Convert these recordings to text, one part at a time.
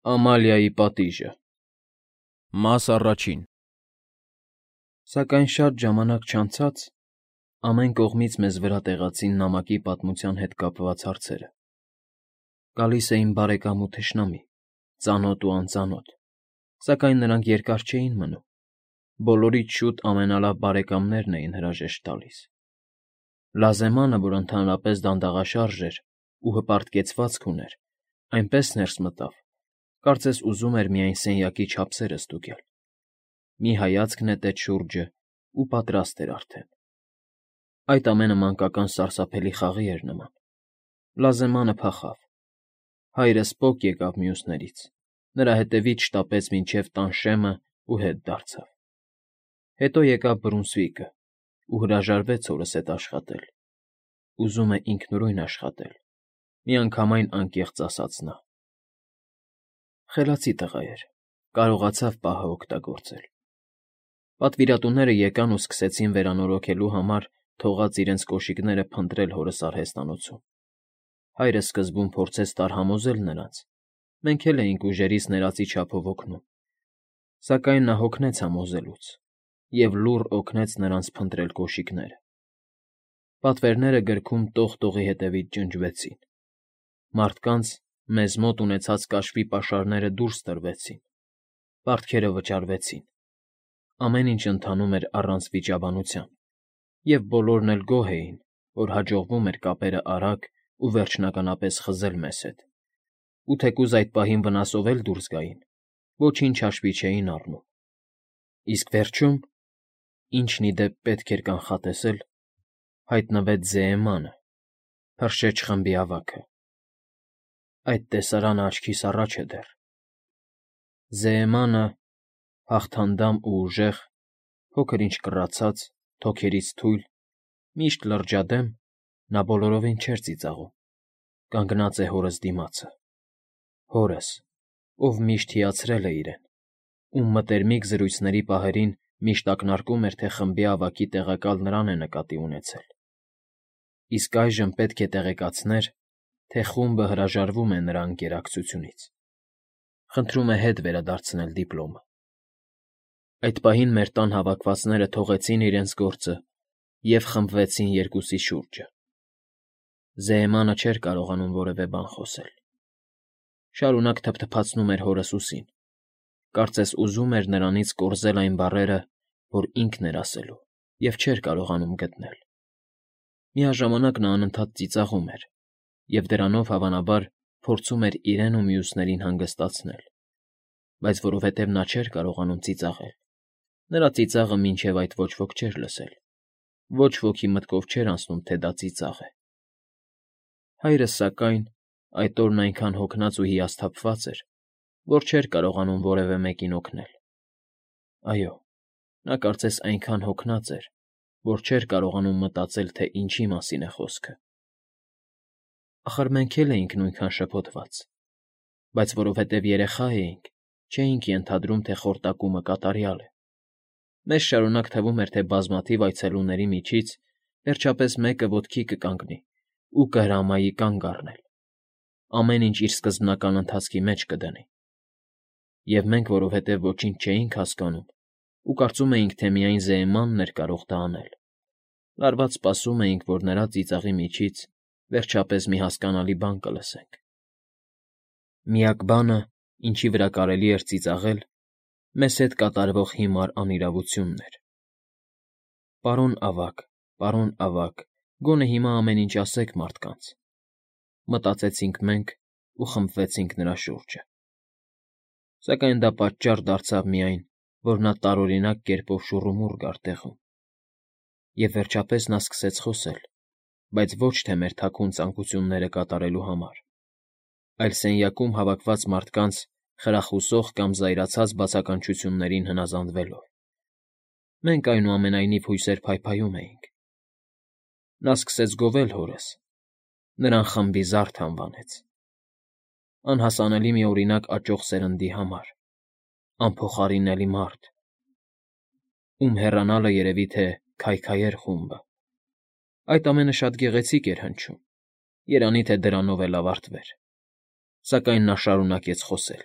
Ամալիայի պատիժը Մաս առաջին Սակայն շատ ժամանակ չանցած ամեն կողմից մեզ վրա տեղացին նամակի պատմության հետ կապված հարցերը. գալիս էին բարեկամ ու թշնամի, ծանոթ ու անծանոթ, սակայն նրանք երկար չէին մնում, բոլորից շուտ ամենալավ բարեկամներն էին հրաժեշտ տալիս. Լազեմանը, որ ընդհանրապես դանդաղաշարժ էր ու հպարտ կեցվածք ուներ, այնպես ներս մտավ, կարծես ուզում էր միայն սենյակի չափսերը ստուգել. մի հայացք նետեց շուրջը ու պատրաստ էր արդեն. այդ ամենը մանկական սարսափելի խաղի էր նման. Լազեմանը փախավ, հայրս պոկ եկավ մյուսներից, նրա հետևից շտապեց մինչև տան շեմը ու հետ դարձավ. հետո եկավ Բրունսվիկը ու հրաժարվեց հորս հետ աշխատել. ուզում է ինքնուրույն աշխատել, միանգամայն անկեղծ ասաց նա. խելացի տղա էր, կարողացավ պահը օգտագործել. պատվիրատուները եկան ու սկսեցին վերանորոգելու համար թողած իրենց կոշիկները փնտրել հորս արհեստանոցում. հայրը սկզբում փորձեց տարհամոզել նրանց, մենք էլ էինք ուժերից ներածի չափով օգնում, սակայն նա հոգնեց համոզելուց և լուռ օգնեց նրանց փնտրել կոշիկները. պատվերները գրքում տող֊տողի հետևից ջնջվեցին, մարդկանց մեզ մոտ ունեցած կաշվի պաշարները դուրս տրվեցին, պարտքերը վճարվեցին, ամեն ինչ ընթանում էր առանց վիճաբանության, և բոլորն էլ գոհ էին, որ հաջողվում էր կապերը արագ ու վերջնականապես խզել մեզ հետ, ու թեկուզ այդ պահին վնասով էլ դուրս գային, ոչինչ հաշվի չէին առնում, իսկ վերջում, ինչն ի դեպ պետք էր կանխատեսել, հայտնվեց Զեեմանը, Հրշեջ խմբի ավագը. այդ տեսարանը աչքիս առաջ է դեռ. Զեեմանը, հաղթանդամ ու ուժեղ, փոքր֊ինչ կռացած, թոքերից թույլ, միշտ լրջադեմ, նա բոլորովին չէր ծիծաղում, կանգնած է հորս դիմացը, հորս, ով միշտ հիացրել է իրեն, ում մտերմիկ զրույցների պահերին միշտ ակնարկում էր, թե խմբի ավագի տեղակալ նրան է նկատի ունեցել, իսկ այժմ պետք է տեղեկացներ, թե խումբը հրաժարվում է նրա ընկերակցությունից, խնդրում է հետ վերադարձնել դիպլոմը. Այդ պահին մեր տան հավաքվածները թողեցին իրենց գործը և խմբվեցին երկուսի շուրջը. Զեեմանը չէր կարողանում որևէ բան խոսել. շարունակ թփթփացնում էր հորս ուսին, կարծես ուզում էր նրանից կորզել այն բառերը, որ ինքն էր ասելու և չէր կարողանում գտնել. միաժամանակ նա անընդհատ ծիծաղում էր և դրանով, հավանաբար, փորձում էր իրեն ու մյուսներին հանգստացնել, բայց որովհետև նա չէր կարողանում ծիծաղել, նրա ծիծաղը մինչև այդ ոչ ոք չէր լսել, ոչ ոքի մտքով չէր անցնում, թե դա ծիծաղ է. հայրս, սակայն, այդ օրն այնքան հոգնած ու հիասթափված էր, որ չէր կարողանում որևէ մեկին օգնել. այո, նա կարծես այնքան հոգնած էր, որ չէր կարողանում մտածել, թե ինչի մասին է խոսքը. ախր մենք էլ էինք նույնքան շփոթված, բայց որովհետև երեխա էինք, չէինք ենթադրում, թե խորտակումը կատարյալ է, մեզ շարունակ թվում էր, թե բազմաթիվ այցելուների միջից վերջապես մեկը ոտքի կկանգնի ու կհրամայի կանգ առնել, ամեն ինչ իր սկզբնական ընթացքի մեջ կդնի, և մենք, որովհետև ոչինչ չէինք հասկանում ու կարծում էինք, թե միայն Զեեմանն էր կարող դա անել, լարված սպասում էինք, որ նրա ծիծաղի միջից վերջապես մի հասկանալի բան կլսենք. միակ բանը, ինչի վրա կարելի էր ծիծաղել, մեզ հետ կատարվող հիմար անիրավությունն էր. պարոն ավագ, գոնե հիմա ամեն ինչ ասեք մարդկանց, մտածեցինք մենք ու խմբվեցինք նրա շուրջը, սակայն դա պատճառ դարձավ միայն, որ նա տարօրինակ կերպով շուռումուռ գար տեղում, և վերջապես նա սկսեց խոսել, բայց ոչ թե մեր թաքուն ցանկությունները կատարելու համար, այլ սենյակում հավաքված մարդկանց խրախուսող կամ զայրացած բացականչություններին հնազանդվելով. մենք, այնուամենայնիվ, հույսեր փայփայում էինք. նա սկսեց գովել հորս, նրան խմբի զարդ անվանեց, անհասանելի մի օրինակ աճող սերնդի համար, անփոխարինելի մարդ, ում հեռանալը երևի թե քայքայեր խումբը, այդ ամենը շատ գեղեցիկ էր հնչում, երանի թե դրանով էլ ավարտվեր, սակայն նա շարունակեց խոսել.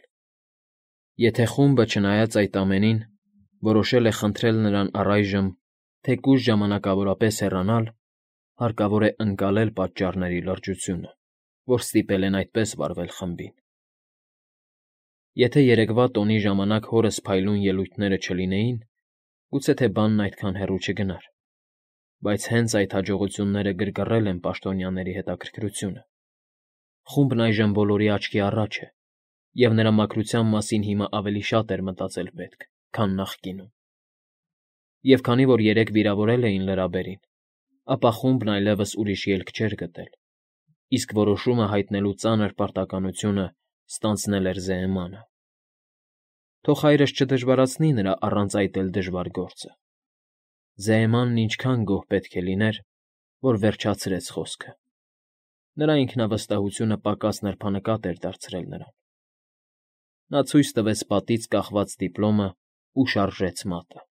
Եթե խումբը, չնայած այդ ամենին, որոշել է խնդրել նրան առայժմ թեկուզ ժամանակավորապես հեռանալ, հարկավոր է ընկալել պատճառների լրջությունը, որ ստիպել են այդպես վարվել խմբին։ Եթե երեկվա տոնի ժամանակ հորս փայլուն ելույթները չլինեին, գուցե թե բանն այդքան հեռու չգնար, բայց հենց այդ հաջողությունները գրգռել են պաշտոնյաների հետաքրքրությունը։ Խումբն այժմ բոլորի աչքի առաջ է, և նրա մաքրության մասին հիմա ավելի շատ էր մտածել պետք, քան նախկինում։ Եվ քանի որ երեկ վիրավորել էին լրաբերին, ապա խումբն այլևս ուրիշ ելք չէր գտել, իսկ որոշումը հայտնելու ծանր պարտականությունը ստանձնել էր Զեյմանը։ Թող հայրս չդժվարացնի նրա առանց այդ էլ դժվար գործը։ Զեյմանն ինչքան գոհ պետք է լիներ, որ վերջացրեց խոսքը։ Նրա ինքնավստահությունը պակաս նրբանկատ էր դարձրել նրան։ Նա ցույց տվեց պատից կախված դիպլոմը ու շարժեց մատը։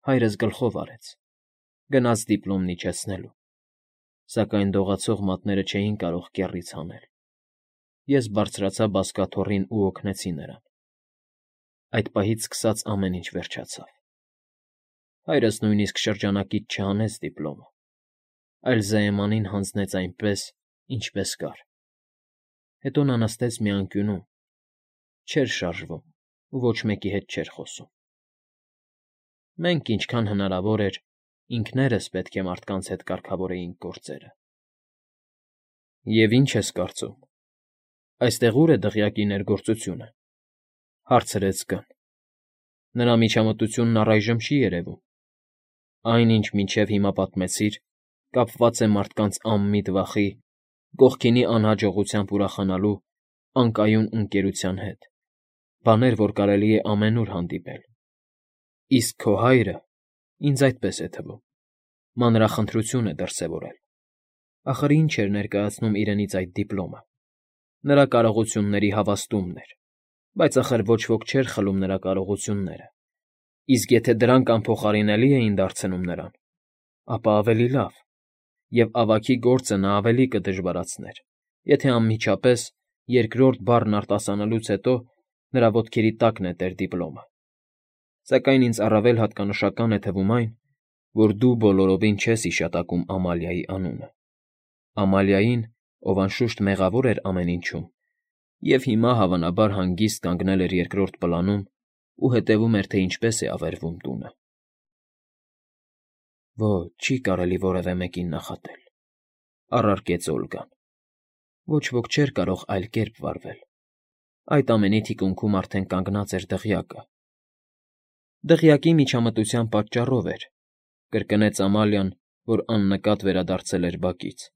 Հայրս գլխով արեց, գնաց դիպլոմն իջեցնելու, սակայն դողացող մատները չէին կարող կեռից հանել։ Ես բարձրացա բազկաթոռին ու օգնեցի նրան։ Այդ պահից սկսած ամեն ինչ վերջացավ։ Հայրս նույնիսկ շրջանակից չհանեց դիպլոմը, այլ Զեյմանին հանձնեց այնպես, ինչպես կար։ Հետո նա նստեց մի անկյունում, չէր շարժվում ու ոչ մեկի հետ չէր խոսում։ Մենք, ինչքան հնարավոր էր, ինքներս պետք է մարդկանց հետ կարգավորեինք գործերը։ Եվ ինչ ես կարծում, այստեղ ուր է դղյակի ներգործությունը, հարցրեց Կն։ Նրա միջամտությունն առայժմ չի երևում։ Այն, ինչ մինչև հիմա պատմեցիր, կապված է մարդկանց անմիտ վախի, կողքինի անհաջողությամբ ուրախանալու անկայուն ընկերության հետ, բաներ, որ կարելի է ամենուր հանդիպել։ Իսկ քո հայրը, ինձ այդպես է թվում, մանրախնդրություն է դրսևորել։ Ախր ինչ էր ներկայացնում իրենից այդ դիպլոմը։ Նրա կարողությունների հավաստումն էր, բայց ախր ոչ ոք չէր խլում նրա կարողությունները։ Իսկ եթե դրանք անփոխարինելի էին դարձնում նրան, ապա ավելի լավ, և ավագի գործը նա ավելի կդժվարացներ, եթե անմիջապես երկրորդ բառն արտասանելուց հետո նրա ոտքերի տակ նետեր դիպլոմը։ Սակայն ինձ առավել հատկանշական է թվում այն, որ դու բոլորովին չես հիշատակում Ամալիայի անունը։ Ամալիային, ով անշուշտ մեղավոր էր ամեն ինչում, և հիմա հավանաբար հանգիստ կանգնել էր երկրորդ պլանում ու հետևում էր, թե ինչպես է ավերվում տունը։ Ոչ, չի կարելի որևէ մեկին նախատել, առարկեց Օլգան։ Ոչ ոք չէր կարող այլ կերպ վարվել։ Այդ ամենի թիկունքում արդեն կանգնած էր դղյակը։ Դղյակի միջամտության պատճառով էր, կրկնեց Ամալիան, որ աննկատ վերադարձել էր բակից։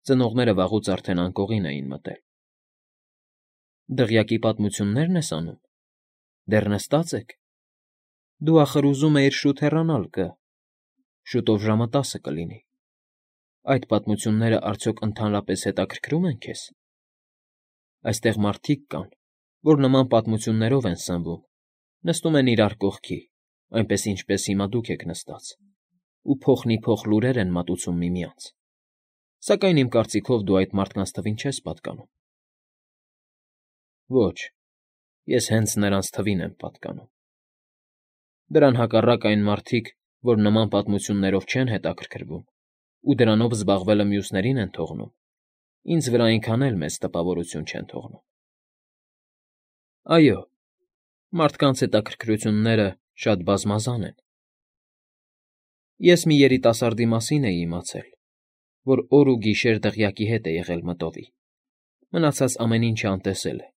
Ծնողները վաղուց արդեն անկողին էին մտել։ Դղյակի պատմություննե՞րն ես անում։ Դեռ նստած եք։ Դու ախր ուզում էիր շուտ հեռանալ, Շուտով ժամը 10 կլինի։ Այդ պատմությունները արդյոք ընդհանրապես հետաքրքրում են քեզ։ Այստեղ մարդիկ կան, որ նման պատմություններով են սնվում, նստում են իրար կողքի, այնպես ինչպես հիմա դուք եք նստած, ու փոխնիփոխ լուրեր են մատուցում միմյանց։ Սակայն իմ կարծիքով դու այդ մարդկանց թվին չես պատկանում։ Ոչ, ես հենց նրանց թվին եմ պատկանում։ Դրան հակառակ այն մարդիկ, որ նման պատմություններով չեն հետաքրքրվում ու դրանով զբաղվելը մյուսներին են թողնում, ինձ վրա այնքան էլ մեծ տպավորություն չեն թողնում։ Այո, մարդկանց հետաքրքրությունները շատ բազմազան են։ Ես մի երիտասարդի մասին էի իմացել, որ օր ու գիշեր դղյակի հետ է եղել մտովի։ Մնացած ամեն ինչը անտեսել է։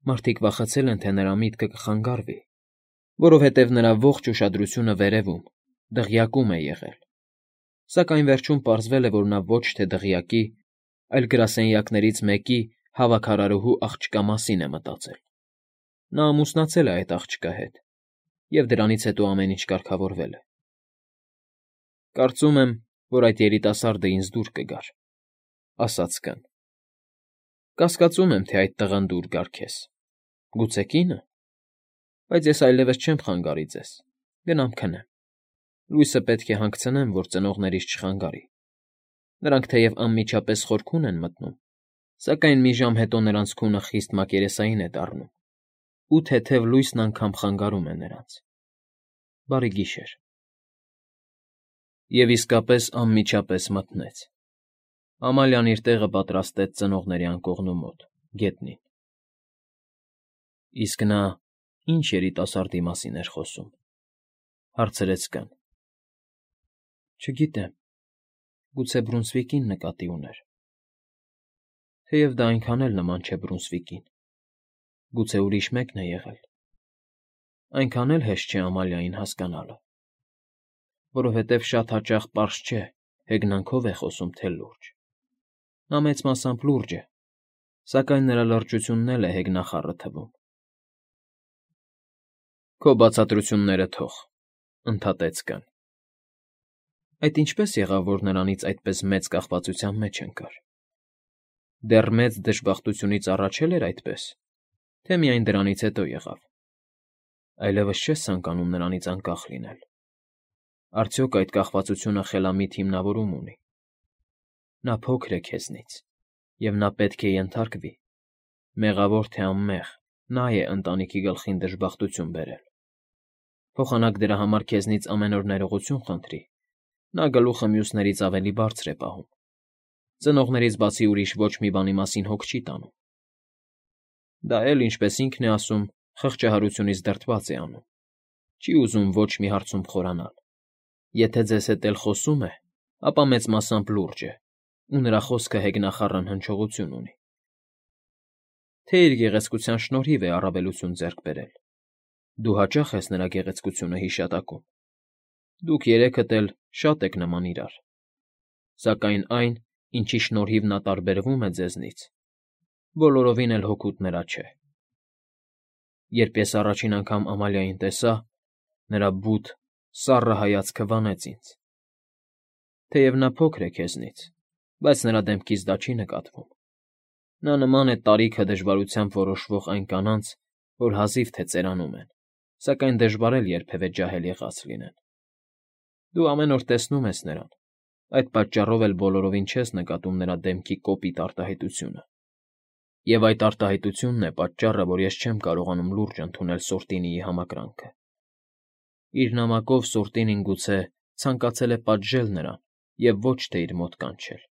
Մարդիկ վախեցել են, թե նրա միտքը կխանգարվի, որովհետև նրա ողջ ուշադրությունը վերևում, դղյակում է եղել։ Սակայն վերջում պարզվել է, որ նա ոչ թե դղյակի, այլ գրասենյակներից մեկի հավաքարարուհու աղջկա մասին է մտածել։ Նա ամուսնացել է այդ աղջկա հետ, և դրանից հետո ամեն ինչ կարգավորվել է։ Կարծում եմ, որ այդ երիտասարդը ինձ դուր կգար, ասաց Կն։ Կասկածում եմ, թե այդ տղան դուր գար քեզ։ Գուցե կինը։ Բայց ես այլևս չեմ խանգարի ձեզ։ Գնամ քնեմ։ Լույսը պետք է հանգցնեմ, որ ծնողներիս չխանգարի։ Նրանք թեև անմիջապես խորքուն են մտնում, սակայն մի ժամ հետո նրանց քունը խիստ մակերեսային է դառնում։ ու թեթև լույսն անգամ խանգարում է նրանց։ Բարի գիշեր։ Եվ իսկապես անմիջապես մթնեց։ Ամալիան իր տեղը պատրաստեց ծնողների անկողնու մոտ, գետնին։ Իսկ նա ինչ երիտասարդի մասին էր խոսում, հարցրեց կան։ Չգիտեմ, գուցե Բրունսվիկին նկատի ուներ։ Թեև դա այնքան էլ նման չէ Բրունսվիկին, գուցե ուրիշ մեկն է եղել։ Այնքան էլ հեշտ չէ Ամալիային հասկանալը, որովհետև շատ հաճախ պարզ չէ, հեգնանքով է խոսում, թե լուրջ։ Նա մեծ մասամբ լուրջ է, սակայն նրա լրջությունն էլ է հեգնախառը թվում։ Քո բացատրությունները թող, ընդհատեց կան։ Այդ ինչպես եղավ, որ նրանից այդպես մեծ կախվածության մեջ ընկար։ Դեռ մեծ դժբախտությունից առաջ էր այդպես, թե միայն դրանից հետո եղավ։ Այլևս չես ցանկանում նրանից անկախ լինել։ Արդյոք այդ կախվածությունը խելամիտ հիմնավորում ունի։ Նա փոքր է քեզնից, և նա պետք է ենթարկվի։ Մեղավոր թե անմեղ, նա է ընտանիքի գլխին դժբախտություն բերել։ Փոխանակ դրա համար քեզնից ամեն օր ներողություն խնդրի, նա գլուխը մյուսներից ավելի բարձր է պահում։ Ծնողներից բացի ուրիշ ոչ մի բանի մասին հոգ չի տանում։ Դա էլ, ինչպես ինքն է ասում, խղճահարությունից դրդված է անում։ Չի ուզում ոչ մի հարցում խորանալ։ Եթե ձեզ հետ էլ խոսում է, ապա մեծ մասամբ լուրջ է, ու նրա խոսքը հեգնախառն հնչողություն ունի։ Թե իր գեղեցկության շնորհիվ է առավելություն ձեռք բերել։ Դու հաճախ ես նրա գեղեցկությունը հիշատակում։ Դուք երեքդ էլ շատ եք նման իրար։ Սակայն այն, ինչի շնորհիվ նա տարբերվում է ձեզնից, բոլորովին էլ հօգուտ նրա չէ։ Երբ ես առաջին անգամ Ամալիային տեսա, նրա բութ, սառը հայացքը վանեց ինձ։ Թեև նա փոքր է քեզնից, բայց նրա դեմքից դա չի նկատվում։ Նա նման է տարիքը դժվարությամբ որոշվող այն կանանց, որ հազիվ թե ծերանում են, սակայն դժվար էլ երբևէ ջահել եղած լինեն։ Դու ամեն օր տեսնում ես նրան, այդ պատճառով էլ բոլորովին չես նկատում նրա դեմքի կոպիտ արտահայտությունը։ Եվ այդ արտահայտությունն է պատճառը, որ ես չեմ կարողանում լուրջ ընդունել Սորտինիի համակրանքը։ Իր նամակով Սորտինին գուցե ցանկացել է պատժել նրան և ոչ թե իր մոտ կանչել։